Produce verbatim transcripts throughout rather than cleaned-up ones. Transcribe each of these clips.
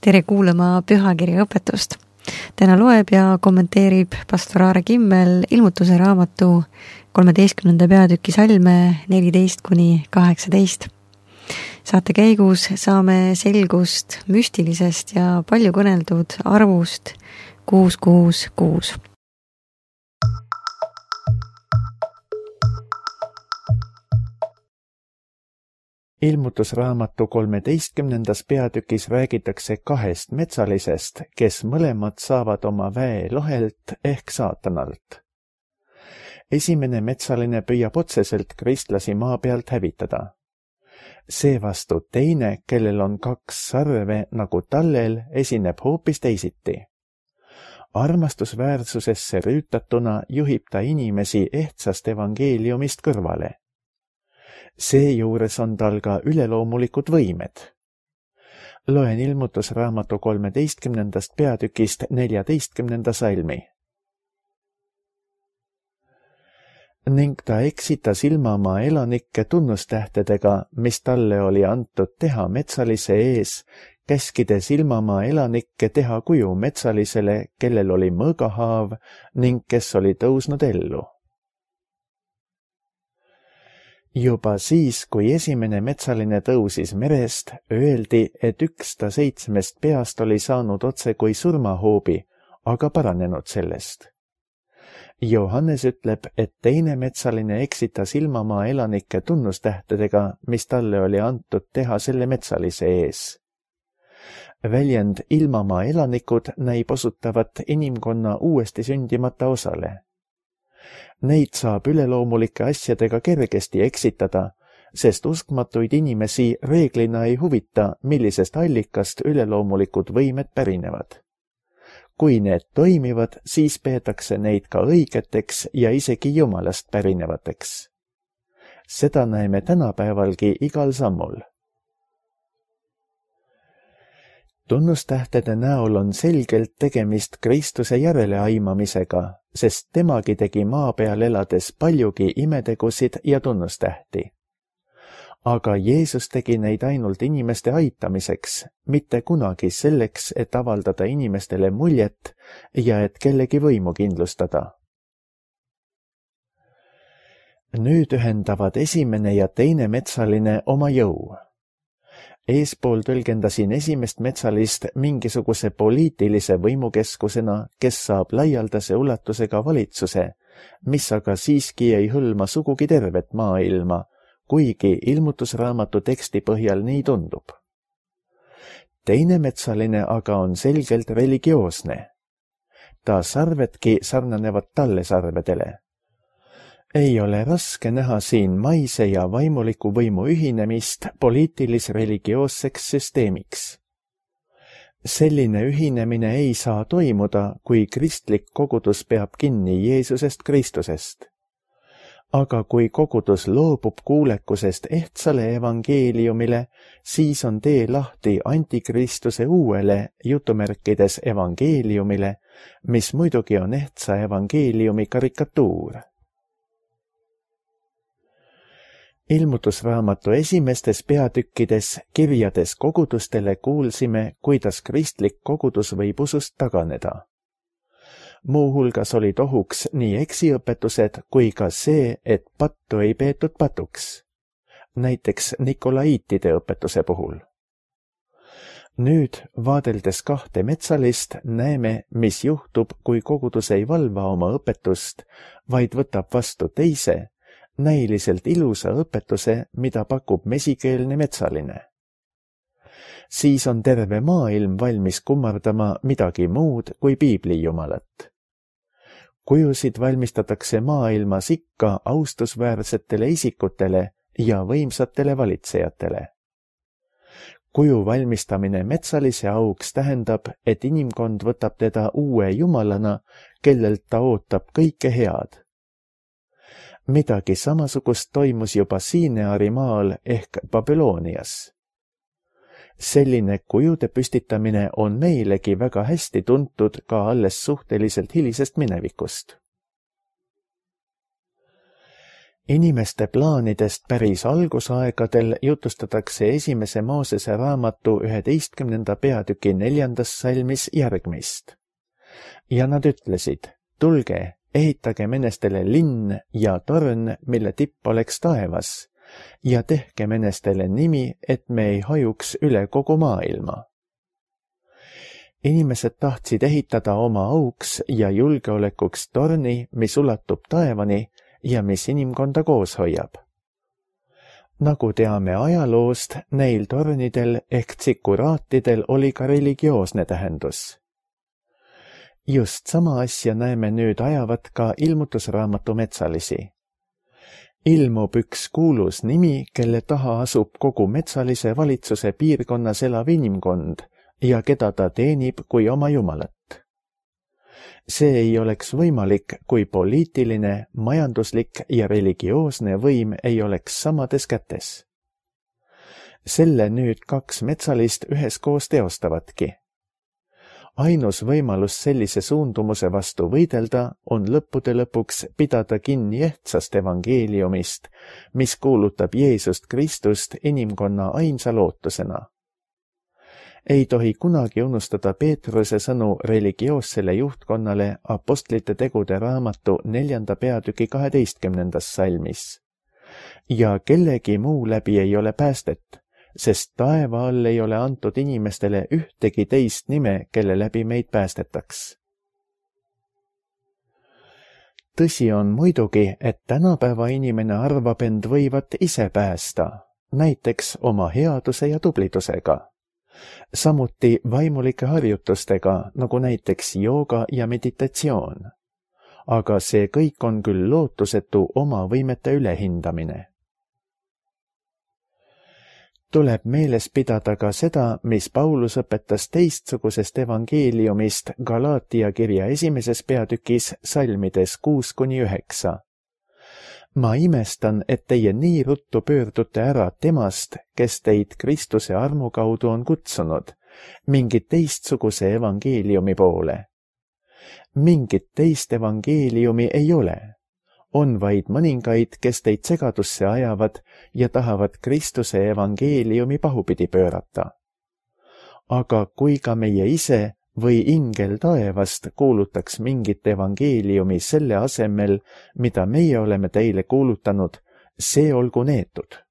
tere kuulama pühakirja õpetust. Täna loeb ja kommenteerib pastor Aare Kimmel ilmutuse raamatu kolmeteistkümnenda peatüki salme neliteist kuni kaheksateist. Saate käigus saame selgust müstilisest ja palju kõneldud arvust kuus kuus kuus. Ilmutusraamatu kolmeteistkümnendas peatükis räägitakse kahest metsalisest, kes mõlemad saavad oma väe lohelt ehk saatanalt. Esimene metsaline püüab otseselt kristlasi maa pealt hävitada. Seevastu teine, kellel on kaks sarve nagu tallel, esineb hoopis teisiti. Armastusväärsusesse rüütatuna juhib ta inimesi ehtsast evangeeliumist kõrvale. Seejuures on tal ka üleloomulikud võimed. Loen ilmutusraamatu kolmeteistkümnendast peatükist neljateistkümnenda salmi. Ning ta eksitas ilmamaa elanikke tunnustähtedega, mis talle oli antud teha metsalise ees, käskides ilmamaa elanikke teha kuju metsalisele, kellel oli mõõgahaav ning kes oli tõusnud ellu. Juba siis, kui esimene metsaline tõusis merest, öeldi, et üks ta seitsmest peast oli saanud otse kui surmahoobi, aga paranenud sellest. Johannes ütleb, et teine metsaline eksitas ilmamaa elanike tunnustähtedega, mis talle oli antud teha selle metsalise ees. Väljend ilmamaa elanikud näib osutavat inimkonna uuesti sündimata osale. Neid saab üleloomulike asjadega kergesti eksitada, sest uskmatuid inimesi reeglina ei huvita, millisest allikast üleloomulikud võimed pärinevad. Kui need toimivad, siis peetakse neid ka õigeteks ja isegi Jumalast pärinevateks. Seda näeme tänapäevalgi igal sammul. Tunnustähtede näol on selgelt tegemist Kristuse järeleaimamisega, sest temagi tegi maa peal elades paljugi imetegusid ja tunnustähti. Aga Jeesus tegi neid ainult inimeste aitamiseks, mitte kunagi selleks, et avaldada inimestele muljet ja et kellegi võimu kindlustada. Nüüd ühendavad esimene ja teine metsaline oma jõu. Eespool tõlgendasin esimest metsalist mingisuguse poliitilise võimukeskusena, kes saab laialdase ulatusega valitsuse, mis aga siiski ei hõlma sugugi tervet maailma, kuigi ilmutusraamatu teksti põhjal nii tundub. Teine metsaline aga on selgelt religioosne. Ta sarvedki sarnanevad talle sarvedele. Ei ole raske näha siin maise ja vaimuliku võimu ühinemist poliitilis-religioosseks süsteemiks. Selline ühinemine ei saa toimuda, kui kristlik kogudus peab kinni Jeesusest Kristusest. Aga kui kogudus loobub kuulekusest ehtsale evangeeliumile, siis on tee lahti antikristuse uuele jutumärkides evangeeliumile, mis muidugi on ehtsa evangeeliumi karikatuur. Ilmutusraamatu esimestes peatükkides kirjades kogudustele kuulsime, kuidas kristlik kogudus võib usust taganeda. Muuhulgas olid ohuks nii eksiõpetused kui ka see, et pattu ei peetud patuks, näiteks Nikolaiitide õpetuse puhul. Nüüd, vaadeldes kahte metsalist, näeme, mis juhtub, kui kogudus ei valva oma õpetust, vaid võtab vastu teise, näiliselt ilusa õpetuse, mida pakub mesikeelne metsaline. Siis on terve maailm valmis kummardama midagi muud kui piibli jumalat. Kujusid valmistatakse maailmas ikka austusväärsetele isikutele ja võimsatele valitsejatele. Kuju valmistamine metsalise auks tähendab, et inimkond võtab teda uue jumalana, kellelt ta ootab kõike head. Midagi samasugust toimus juba Siineari maal ehk Babylonias. Selline kujude püstitamine on meilegi väga hästi tuntud ka alles suhteliselt hilisest minevikust. Inimeste plaanidest päris algusaegadel jutustatakse esimese Moosese raamatu üheteistkümnenda peatüki neljandas salmis järgmist. Ja nad ütlesid, tulge, ehitage menestele linn ja torn, mille tipp oleks taevas, ja tehke menestele nimi, et me ei hajuks üle kogu maailma. Inimesed tahtsid ehitada oma auks ja julgeolekuks torni, mis ulatub taevani ja mis inimkonda koos hoiab. Nagu teame ajaloost, neil tornidel ehk tsikuraatidel oli ka religioosne tähendus. Just sama asja näeme nüüd ajavat ka ilmutusraamatu metsalisi. Ilmub üks kuulus nimi, kelle taha asub kogu metsalise valitsuse piirkonnas elav inimkond ja keda ta teenib kui oma jumalat. See ei oleks võimalik, kui poliitiline, majanduslik ja religioosne võim ei oleks samades kätes. Selle nüüd kaks metsalist üheskoos teostavadki. Ainus võimalus sellise suundumuse vastu võidelda on lõppude lõpuks pidada kinni ehtsast evangeeliumist, mis kuulutab Jeesust Kristust inimkonna ainsa lootusena. Ei tohi kunagi unustada Peetruse sõnu religioossele juhtkonnale apostlite tegude raamatu neljanda peatüki kaheteistkümnendas salmis. Ja kellegi muu läbi ei ole päästet, sest taeva all ei ole antud inimestele ühtegi teist nime, kelle läbi meid päästetaks. Tõsi on muidugi, et tänapäeva inimene arvab end võivat ise päästa, näiteks oma headuse ja tublidusega. Samuti vaimulike harjutustega, nagu näiteks jooga ja meditatsioon. Aga see kõik on küll lootusetu oma võimete ülehindamine. Tuleb meeles pidada ka seda, mis Paulus õpetas teistsugusest evangeeliumist Galaatia kirja esimeses peatükis salmides kuus kuni üheksa. Ma imestan, et teie nii ruttu pöördute ära temast, kes teid Kristuse armu kaudu on kutsunud, mingit teistsuguse evangeeliumi poole. Mingit teist evangeeliumi ei ole. On vaid mõningaid, kes teid segadusse ajavad ja tahavad Kristuse evangeeliumi pahupidi pöörata. Aga kui ka meie ise või ingel taevast kuulutaks mingit evangeeliumi selle asemel, mida meie oleme teile kuulutanud, see olgu neetud.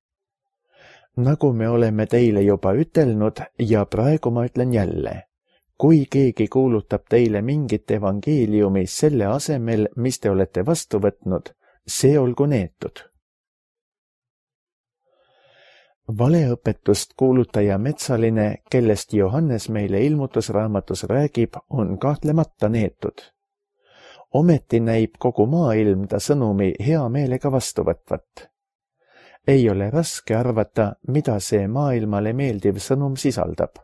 Nagu me oleme teile juba ütelnud ja praegu ma ütlen jälle, kui keegi kuulutab teile mingit evangeeliumi selle asemel, mis te olete vastu võtnud, see olgu neetud. Valeõpetust kuulutaja metsaline, kellest Johannes meile ilmutusraamatus räägib, on kahtlemata neetud. Ometi näib kogu maailm ta sõnumi hea meelega vastu võtvat. Ei ole raske arvata, mida see maailmale meeldiv sõnum sisaldab.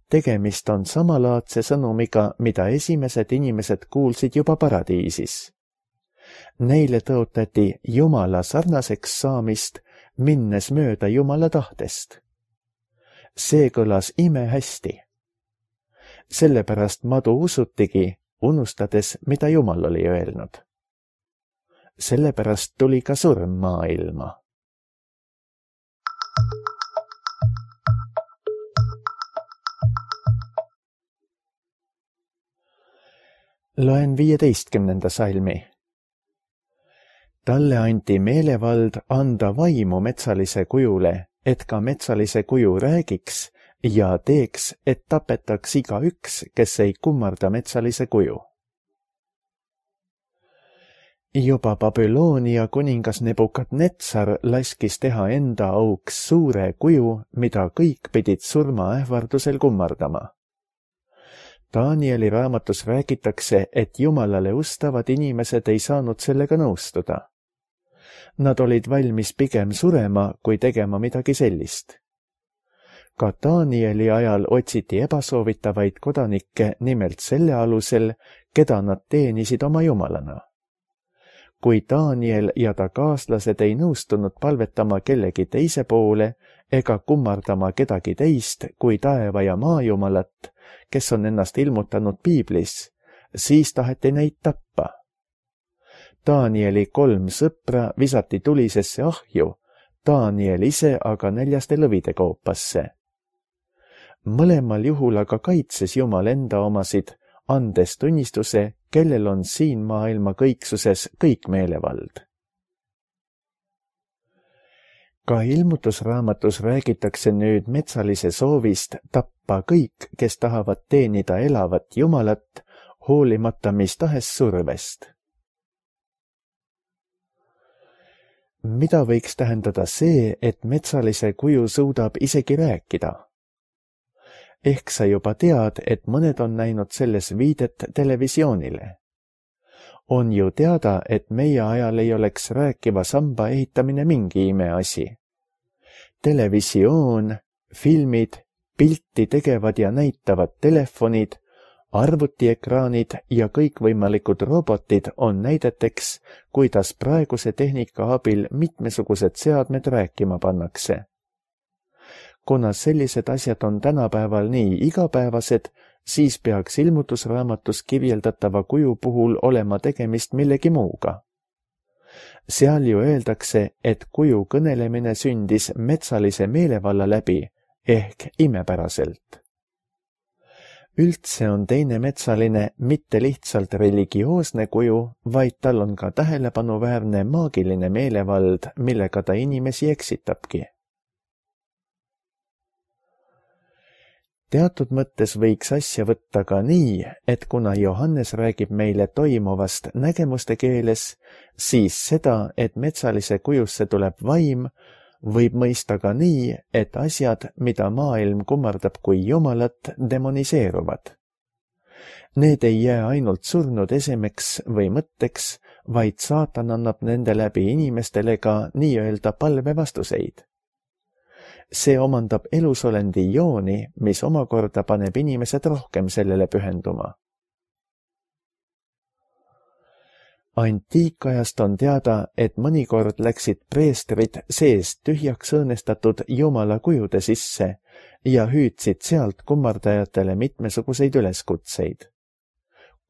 Tegemist on samalaadse sõnumiga, mida esimesed inimesed kuulsid juba paradiisis. Neile tõotati Jumala sarnaseks saamist, minnes mööda Jumala tahtest. See kõlas imehästi. Sellepärast madu usutigi, unustades, mida Jumal oli öelnud. Sellepärast tuli ka surm maailma. Loen viieteistkümnenda salmi. Talle anti meelevald anda vaimu metsalise kujule, et ka metsalise kuju räägiks ja teeks, et tapetaks iga üks, kes ei kummarda metsalise kuju. Juba Babyloonia kuningas Nebukadnetsar laskis teha enda auks suure kuju, mida kõik pidid surmaähvardusel kummardama. Danieli raamatus räägitakse, et Jumalale ustavad inimesed ei saanud sellega nõustuda. Nad olid valmis pigem surema, kui tegema midagi sellist. Ka Danieli ajal otsiti ebasoovitavaid kodanikke nimelt selle alusel, keda nad teenisid oma jumalana. Kui Daniel ja ta kaaslased ei nõustunud palvetama kellegi teise poole ega kummardama kedagi teist kui taeva ja maa jumalat, kes on ennast ilmutanud piiblis, siis taheti neid tappa. Danieli kolm sõpra visati tulisesse ahju, Daniel ise aga näljaste lõvide koopasse. Mõlemal juhul aga kaitses Jumal enda omasid, andes tunnistuse, kellel on siin maailma kõiksuses kõik meelevald. Ka ilmutusraamatus räägitakse nüüd metsalise soovist tappa kõik, kes tahavad teenida elavat Jumalat, hoolimata mis tahes survest. Mida võiks tähendada see, et metsalise kuju suudab isegi rääkida? Ehk sa juba tead, et mõned on näinud selles viidet televisioonile. On ju teada, et meie ajal ei oleks rääkiva samba ehitamine mingi imeasi. Televisioon, filmid, pilti tegevad ja näitavad telefonid, arvutiekraanid ja kõikvõimalikud robotid on näideteks, kuidas praeguse tehnika abil mitmesugused seadmed rääkima pannakse. Kuna sellised asjad on tänapäeval nii igapäevased, siis peaks ilmutusraamatus kirjeldatava kuju puhul olema tegemist millegi muuga. Seal ju öeldakse, et kuju kõnelemine sündis metsalise meelevalla läbi ehk imepäraselt. Üldse on teine metsaline mitte lihtsalt religioosne kuju, vaid tal on ka tähelepanuväärne maagiline meelevald, millega ta inimesi eksitabki. Teatud mõttes võiks asja võtta ka nii, et kuna Johannes räägib meile toimuvast nägemuste keeles, siis seda, et metsalise kujusse tuleb vaim, võib mõista ka nii, et asjad, mida maailm kummardab kui Jumalat, demoniseeruvad. Need ei jää ainult surnud esemeks või mõtteks, vaid saatan annab nende läbi inimestele ka nii-öelda palvevastuseid. See omandab elusolendi jooni, mis omakorda paneb inimesed rohkem sellele pühenduma. Antiikajast on teada, et mõnikord läksid preestrid seest tühjaks õõnestatud Jumala kujude sisse ja hüüdsid sealt kummardajatele mitmesuguseid üleskutseid.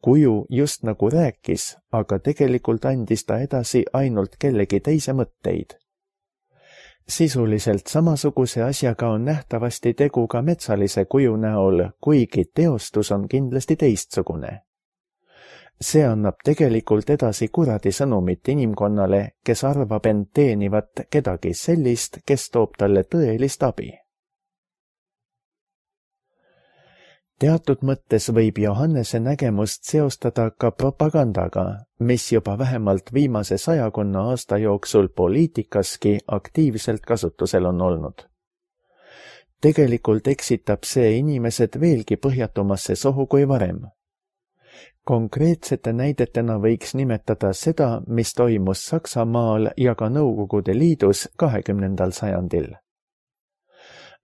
Kuju just nagu rääkis, aga tegelikult andis ta edasi ainult kellegi teise mõtteid. Sisuliselt samasuguse asjaga on nähtavasti tegu ka metsalise kuju näol, kuigi teostus on kindlasti teistsugune. See annab tegelikult edasi kuradi sõnumit inimkonnale, kes arvab end teenivat kedagi sellist, kes toob talle tõelist abi. Teatud mõttes võib Johannese nägemust seostada ka propagandaga, mis juba vähemalt viimase sajakonna aasta jooksul poliitikaski aktiivselt kasutusel on olnud. Tegelikult eksitab see inimesed veelgi põhjatumasse sohu kui varem. Konkreetsete näidetena võiks nimetada seda, mis toimus Saksamaal ja ka Nõukogude Liidus kahekümnendal sajandil.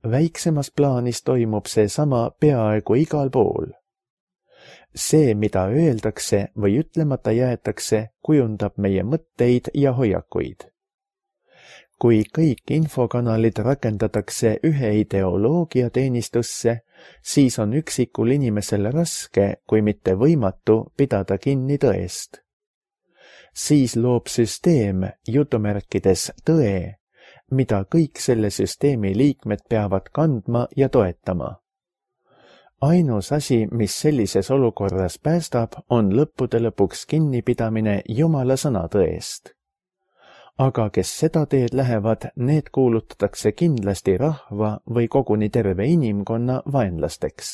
Väiksemas plaanis toimub see sama peaaegu igal pool. See, mida öeldakse või ütlemata jäetakse, kujundab meie mõtteid ja hoiakuid. Kui kõik infokanalid rakendatakse ühe ideoloogia teenistusse, siis on üksikul inimesel raske, kui mitte võimatu, pidada kinni tõest. Siis loob süsteem, jutumärkides tõe, mida kõik selle süsteemi liikmed peavad kandma ja toetama. Ainus asi, mis sellises olukorras päästab, on lõppude lõpuks kinnipidamine Jumala sõnatõest. Aga kes seda teed lähevad, need kuulutatakse kindlasti rahva või koguni terve inimkonna vaenlasteks.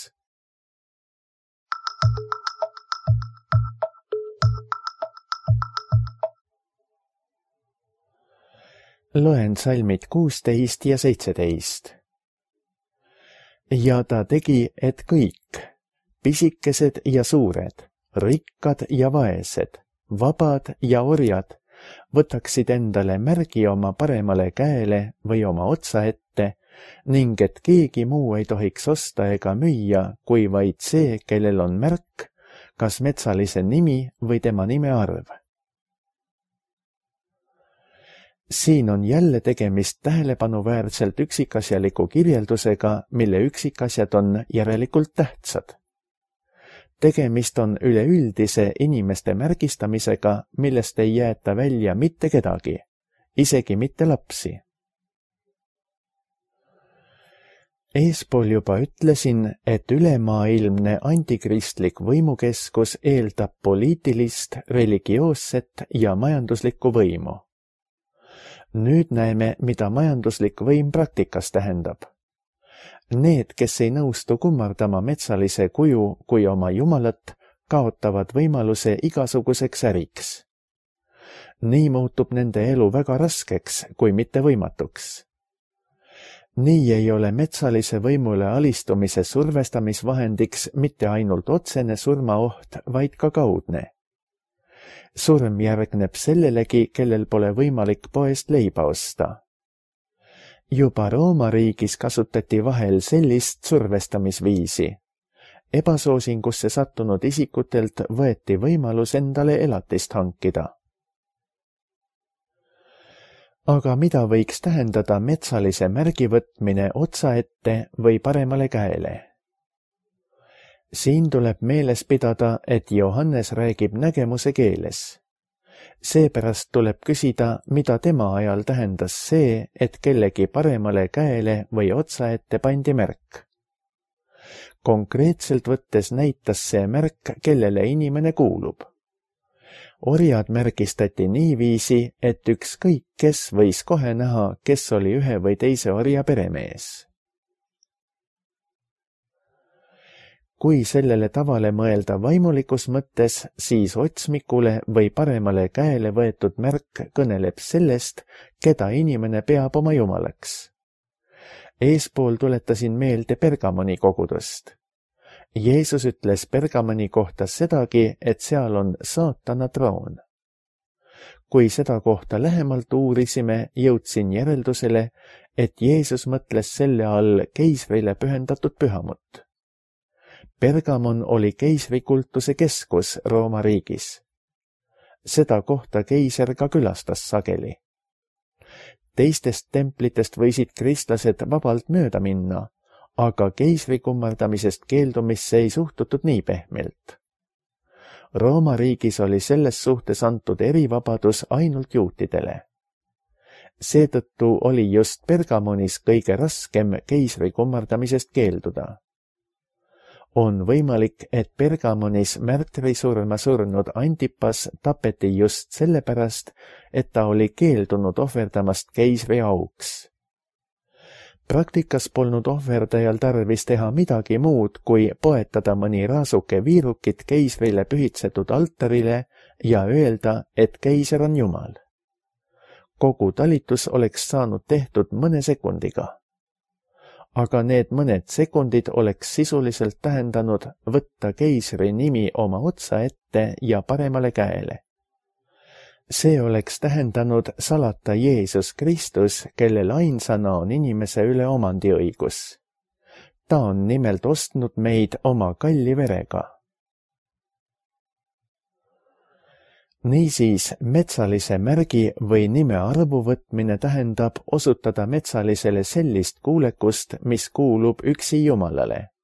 Loen salmid kuusteist ja seitseteist. Ja ta tegi, et kõik, pisikesed ja suured, rikkad ja vaesed, vabad ja orjad, võtaksid endale märgi oma paremale käele või oma otsa ette ning et keegi muu ei tohiks osta ega müüa, kui vaid see, kellel on märk, kas metsalise nimi või tema nime arv. Siin on jälle tegemist tähelepanuväärselt üksikasjaliku kirjeldusega, mille üksikasjad on järelikult tähtsad. tegemist on üleüldise inimeste märgistamisega, millest ei jäeta välja mitte kedagi, isegi mitte lapsi. Eespool juba ütlesin, et ülemaailmne antikristlik võimukeskus eeldab poliitilist, religioosset ja majanduslikku võimu. Nüüd näeme, mida majanduslik võim praktikas tähendab. Need, kes ei nõustu kummardama metsalise kuju kui oma jumalat, kaotavad võimaluse igasuguseks äriks. Nii muutub nende elu väga raskeks, kui mitte võimatuks. Nii ei ole metsalise võimule alistumise survestamisvahendiks mitte ainult otsene surmaoht, vaid ka kaudne. Surm järgneb sellelegi, kellel pole võimalik poest leiba osta. Juba Rooma riigis kasutati vahel sellist survestamisviisi. Ebasoosingusse sattunud isikutelt võeti võimalus endale elatist hankida. Aga mida võiks tähendada metsalise märgi võtmine otsa ette või paremale käele? Siin tuleb meeles pidada, et Johannes räägib nägemuse keeles. Seepärast tuleb küsida, mida tema ajal tähendas see, et kellegi paremale käele või otsa ette pandi märk. Konkreetselt võttes näitas see märk, kellele inimene kuulub. Orjad märgistati niiviisi, et ükskõik kes võis kohe näha, kes oli ühe või teise orja peremees. Kui sellele tavale mõelda vaimulikus mõttes, siis otsmikule või paremale käele võetud märk kõneleb sellest, keda inimene peab oma jumalaks. Eespool tuletasin meelde Pergamoni kogudust. Jeesus ütles Pergamoni kohta sedagi, et seal on saatana troon. Kui seda kohta lähemalt uurisime, jõudsin järeldusele, et Jeesus mõtles selle all keisrile pühendatud pühamut. Pergamon oli keisrikultuse keskus Rooma riigis. Seda kohta keiser ka külastas sageli. Teistest templitest võisid kristlased vabalt mööda minna, aga keisri kummardamisest keeldumisse ei suhtutud nii pehmelt. Rooma riigis oli selles suhtes antud erivabadus ainult juutidele. Seetõttu oli just Pergamonis kõige raskem keisri kummardamisest keelduda. On võimalik, et Pergamonis märtrisurma surnud Antipas tapeti just sellepärast, et ta oli keeldunud ohverdamast keisri auks. Praktikas polnud ohverdajal tarvis teha midagi muud, kui poetada mõni raasuke viirukit keisrile pühitsetud altarile ja öelda, et keiser on jumal. Kogu talitus oleks saanud tehtud mõne sekundiga. Aga need mõned sekundid oleks sisuliselt tähendanud võtta keisri nimi oma otsa ette ja paremale käele. See oleks tähendanud salata Jeesus Kristus, kellel ainsana on inimese üle omandiõigus. Ta on nimelt ostnud meid oma kalli verega. Niisiis, metsalise märgi või nime arvu võtmine tähendab osutada metsalisele sellist kuulekust, mis kuulub üksi Jumalale.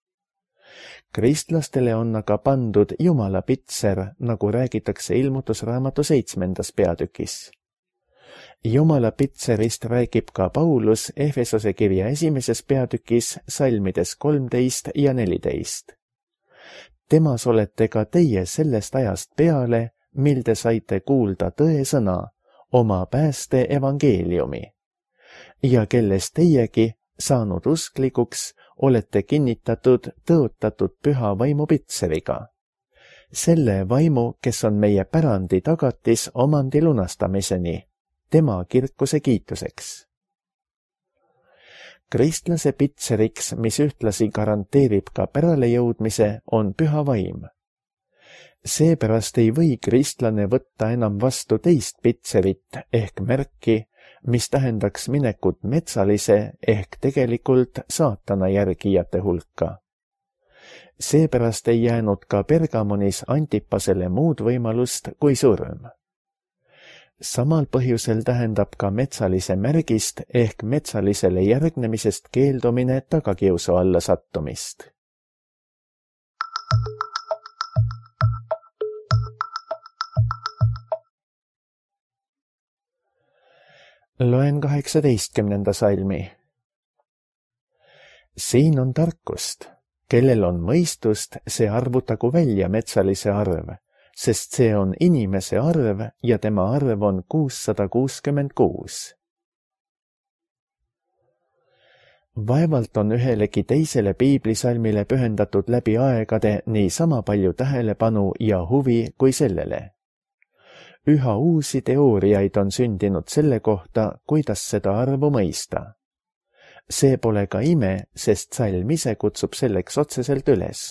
Kristlastele on aga pandud Jumala pitser, nagu räägitakse Ilmutusraamatu seitsmendas peatükis. Jumala pitserist räägib ka Paulus Efesose kirja esimeses peatükis salmides kolmteist ja neliteist. Temas olete ka teie sellest ajast peale, mil te saite kuulda tõe sõna, oma pääste evangeeliumi, ja kelles teiegi, saanud usklikuks, olete kinnitatud tõotatud püha vaimu pitseriga. Selle vaimu, kes on meie pärandi tagatis omandi lunastamiseni, tema kirkuse kiituseks. Kristlase pitseriks, mis ühtlasi garanteerib ka pärale jõudmise, on püha vaim. Seepärast ei või kristlane võtta enam vastu teist pitserit ehk märki, mis tähendaks minekut metsalise ehk tegelikult saatana järgijate hulka. Seepärast ei jäänud ka Pergamonis Antipasele muud võimalust kui surm. Samal põhjusel tähendab ka metsalise märgist ehk metsalisele järgnemisest keeldumine tagakiusu alla sattumist. Loen kaheksateistkümnenda salmi. Siin on tarkust, kellel on mõistust, see arvutagu välja metsalise arv, sest see on inimese arv ja tema arv on kuussada kuuskümmend kuus. Vaevalt on ühelegi teisele piiblisalmile pühendatud läbi aegade nii sama palju tähelepanu ja huvi kui sellele. Üha uusi teooriaid on sündinud selle kohta, kuidas seda arvu mõista. See pole ka ime, sest salm ise kutsub selleks otseselt üles.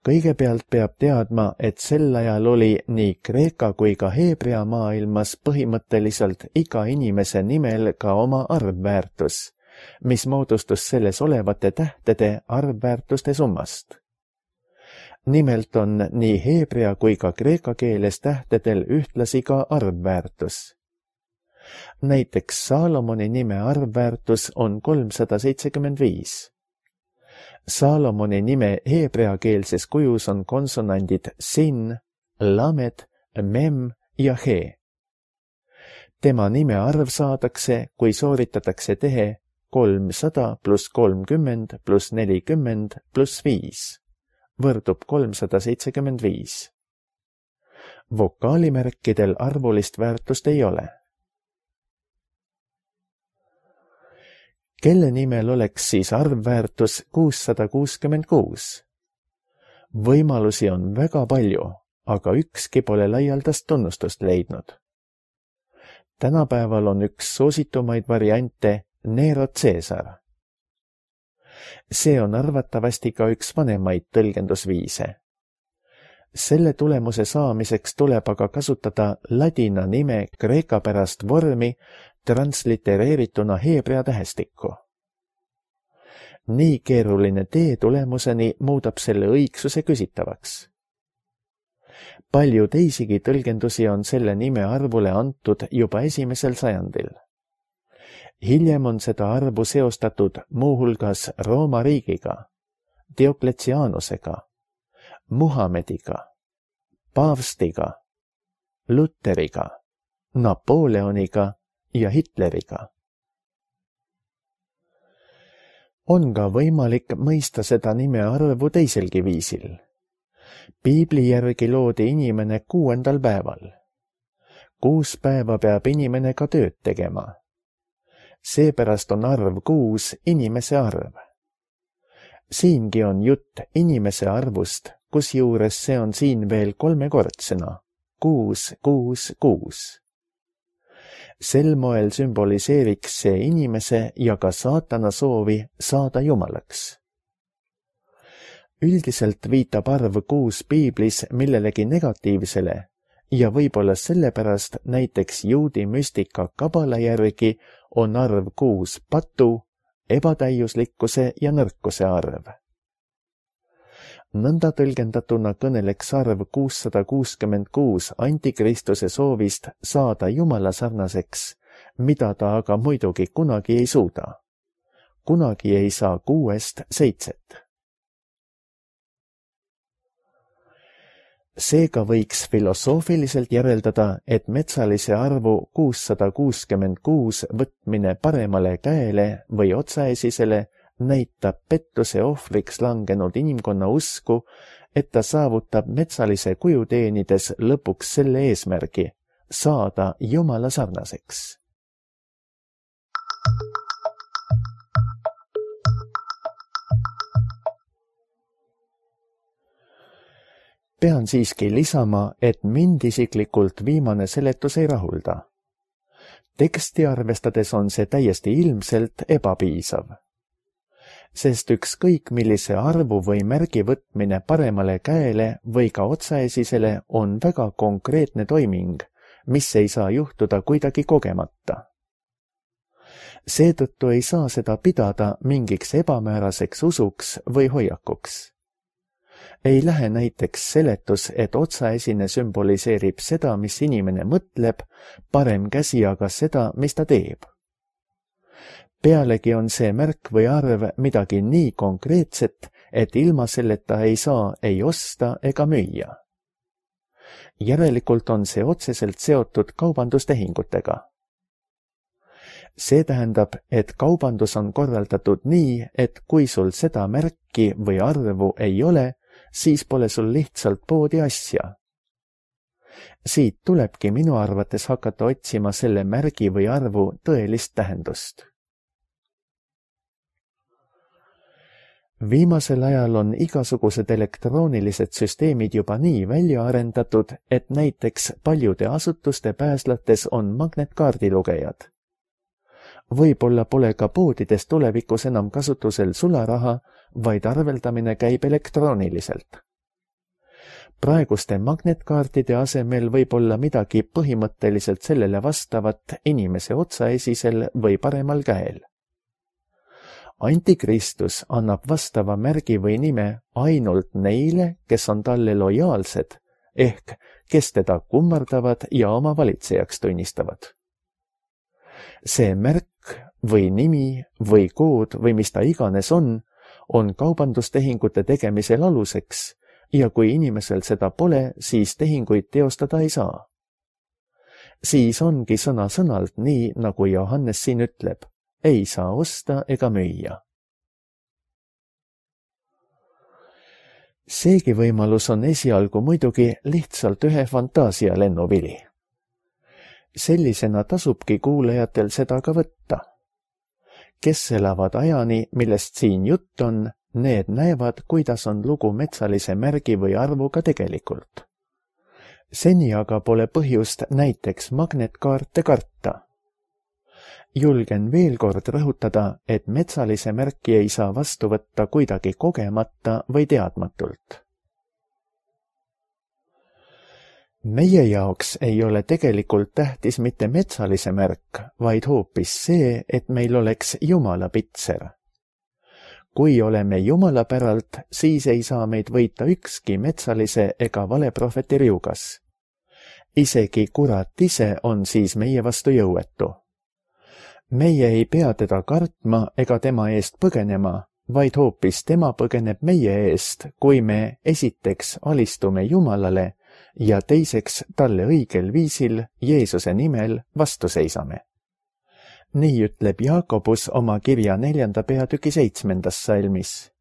Kõigepealt peab teadma, et sel ajal oli nii kreeka kui ka heebrea maailmas põhimõtteliselt iga inimese nimel ka oma arvväärtus, mis moodustus selles olevate tähtede arvväärtuste summast. Nimelt on nii heebrea kui ka kreeka keeles tähtedel ühtlasi ka arvväärtus. Näiteks Saalomoni nime arvväärtus on kolmsada seitsekümmend viis. Saalomoni nime heebreakeelses kujus on konsonandid sin, lamed, mem ja he. Tema nime arv saadakse, kui sooritatakse tehe kolmsada pluss kolmkümmend pluss nelikümmend pluss viis. Võrdub kolmsada seitsekümmend viis. Vokaalimärkidel arvulist väärtust ei ole. Kelle nimel oleks siis arvväärtus kuussada kuuskümmend kuus? Võimalusi on väga palju, aga ükski pole laialdast tunnustust leidnud. Tänapäeval on üks soositumaid variante Nero Caesar. See on arvatavasti ka üks vanemaid tõlgendusviise. Selle tulemuse saamiseks tuleb aga kasutada ladina nime kreeka pärast vormi translitereerituna heebrea tähestikku. Nii keeruline tee tulemuseni muudab selle õigsuse küsitavaks. Palju teisigi tõlgendusi on selle nime arvule antud juba esimesel sajandil. Hiljem on seda arvu seostatud muuhulgas Rooma riigiga, Diokletsianusega, Muhamediga, Paavstiga, Luteriga, Napoleoniga ja Hitleriga. On ka võimalik mõista seda nime arvu teiselgi viisil. Piibli järgi loodi inimene kuuendal päeval. Kuus päeva peab inimene ka tööd tegema. Seepärast on arv kuus inimese arv. Siingi on jutt inimese arvust, kusjuures see on siin veel kolmekordsena. Kuus, kuus, kuus. Sel moel sümboliseeriks see inimese ja ka saatana soovi saada jumalaks. Üldiselt viitab arv kuus piiblis millelegi negatiivsele ja võib-olla sellepärast näiteks juudi müstika kabala järgi on arv kuus patu, ebatäiuslikkuse ja nõrkuse arv. Nõnda tõlgendatuna kõneleks arv kuussada kuuskümmend kuus antikristuse soovist saada jumala sarnaseks, mida ta aga muidugi kunagi ei suuda. Kunagi ei saa kuuest seitset. Seega võiks filosoofiliselt järeldada, et metsalise arvu kuussada kuuskümmend kuus võtmine paremale käele või otsaesisele näitab pettuse ohvriks langenud inimkonna usku, et ta saavutab metsalise kuju teenides lõpuks selle eesmärgi, saada jumala sarnaseks. Pean siiski lisama, et mind isiklikult viimane seletus ei rahulda. Teksti arvestades on see täiesti ilmselt ebapiisav. Sest ükskõik millise arvu või märgi võtmine paremale käele või ka otsaesisele on väga konkreetne toiming, mis ei saa juhtuda kuidagi kogemata. Seetõttu ei saa seda pidada mingiks ebamääraseks usuks või hoiakuks. Ei lähe näiteks seletus, et otsaesine sümboliseerib seda, mis inimene mõtleb, parem käsi aga seda, mis ta teeb. Pealegi on see märk või arv midagi nii konkreetset, et ilma selleta ei saa ei osta ega müüa. Järelikult on see otseselt seotud kaubandustehingutega. See tähendab, et kaubandus on korraldatud nii, et kui sul seda märki või arvu ei ole, siis pole sul lihtsalt poodi asja. Siit tulebki minu arvates hakata otsima selle märgi või arvu tõelist tähendust. Viimasel ajal on igasugused elektroonilised süsteemid juba nii välja arendatud, et näiteks paljude asutuste pääslates on magnetkaardilugejad. Võib-olla pole ka poodides tulevikus enam kasutusel sularaha, vaid arveldamine käib elektrooniliselt. Praeguste magnetkaartide asemel võib olla midagi põhimõtteliselt sellele vastavat inimese otsaesisel või paremal käel. Antikristus annab vastava märgi või nime ainult neile, kes on talle lojaalsed, ehk kes teda kummardavad ja oma valitsejaks tunnistavad. See märk või nimi või kood või mis ta iganes on, on kaubandustehingute tegemisel aluseks ja kui inimesel seda pole, siis tehinguid teostada ei saa. Siis ongi sõna-sõnalt nii, nagu Johannes siin ütleb, ei saa osta ega müüa. Seegi võimalus on esialgu muidugi lihtsalt ühe fantaasia lennuvili. Sellisena tasubki kuulajatel seda ka võtta. Kes elavad ajani, millest siin jutt on, need näevad, kuidas on lugu metsalise märgi või arvuga tegelikult. Seni aga pole põhjust näiteks magnetkaarte karta. Julgen veel kord rõhutada, et metsalise märki ei saa vastu võtta kuidagi kogemata või teadmatult. Meie jaoks ei ole tegelikult tähtis mitte metsalise märk, vaid hoopis see, et meil oleks Jumala pitser. Kui oleme Jumala päralt, siis ei saa meid võita ükski metsalise ega valeprohveti riugas. Isegi kurat ise on siis meie vastu jõuetu. Meie ei pea teda kartma ega tema eest põgenema, vaid hoopis tema põgeneb meie eest, kui me esiteks alistume Jumalale ja teiseks talle õigel viisil Jeesuse nimel vastu seisame. Nii ütleb Jaakobus oma kirja neljanda peatüki seitsmendas salmis.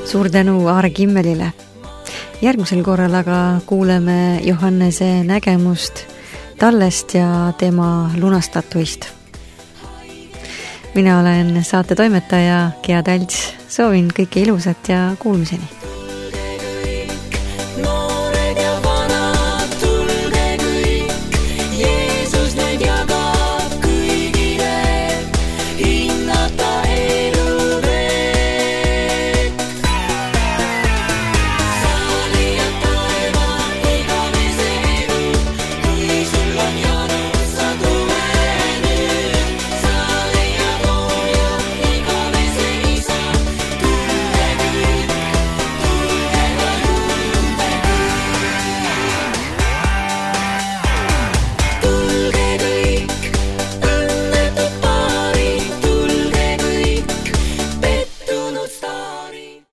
Suur tänu Aare Kimmelile. Järgmisel korral aga kuuleme Johannese nägemust tallest ja tema lunastatuist. Mina olen saate toimetaja Gea Talts. Soovin kõike ilusat ja kuulmiseni.